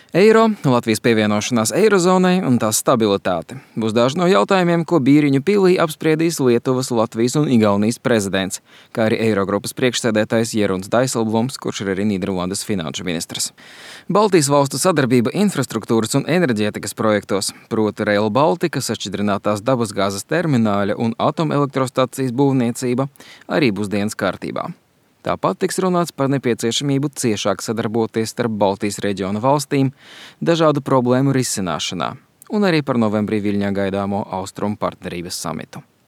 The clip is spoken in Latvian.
Eiro, Latvijas pievienošanās eirozonai un tās stabilitāte būs daži no jautājumiem, ko Bīriņu pilī apspriedīs Lietuvas, Latvijas un Igaunijas prezidents, kā arī Eirogrupas priekšsēdētājs Jeruns Dijsselbloms, kurš ir arī Nīderlandes finanšu ministrs. Baltijas valstu sadarbība infrastruktūras un enerģētikas projektos, proti Rail Baltica, sašķidrinātās dabasgāzes termināļa un atomelektrostacijas būvniecība, arī būs dienas kārtībā. Tāpat tiks runāts par nepieciešamību ciešāk sadarboties starp Baltijas reģiona valstīm dažādu problēmu risināšanā un arī par novembrī Viļņā gaidāmo Austrumu partnerības samitu.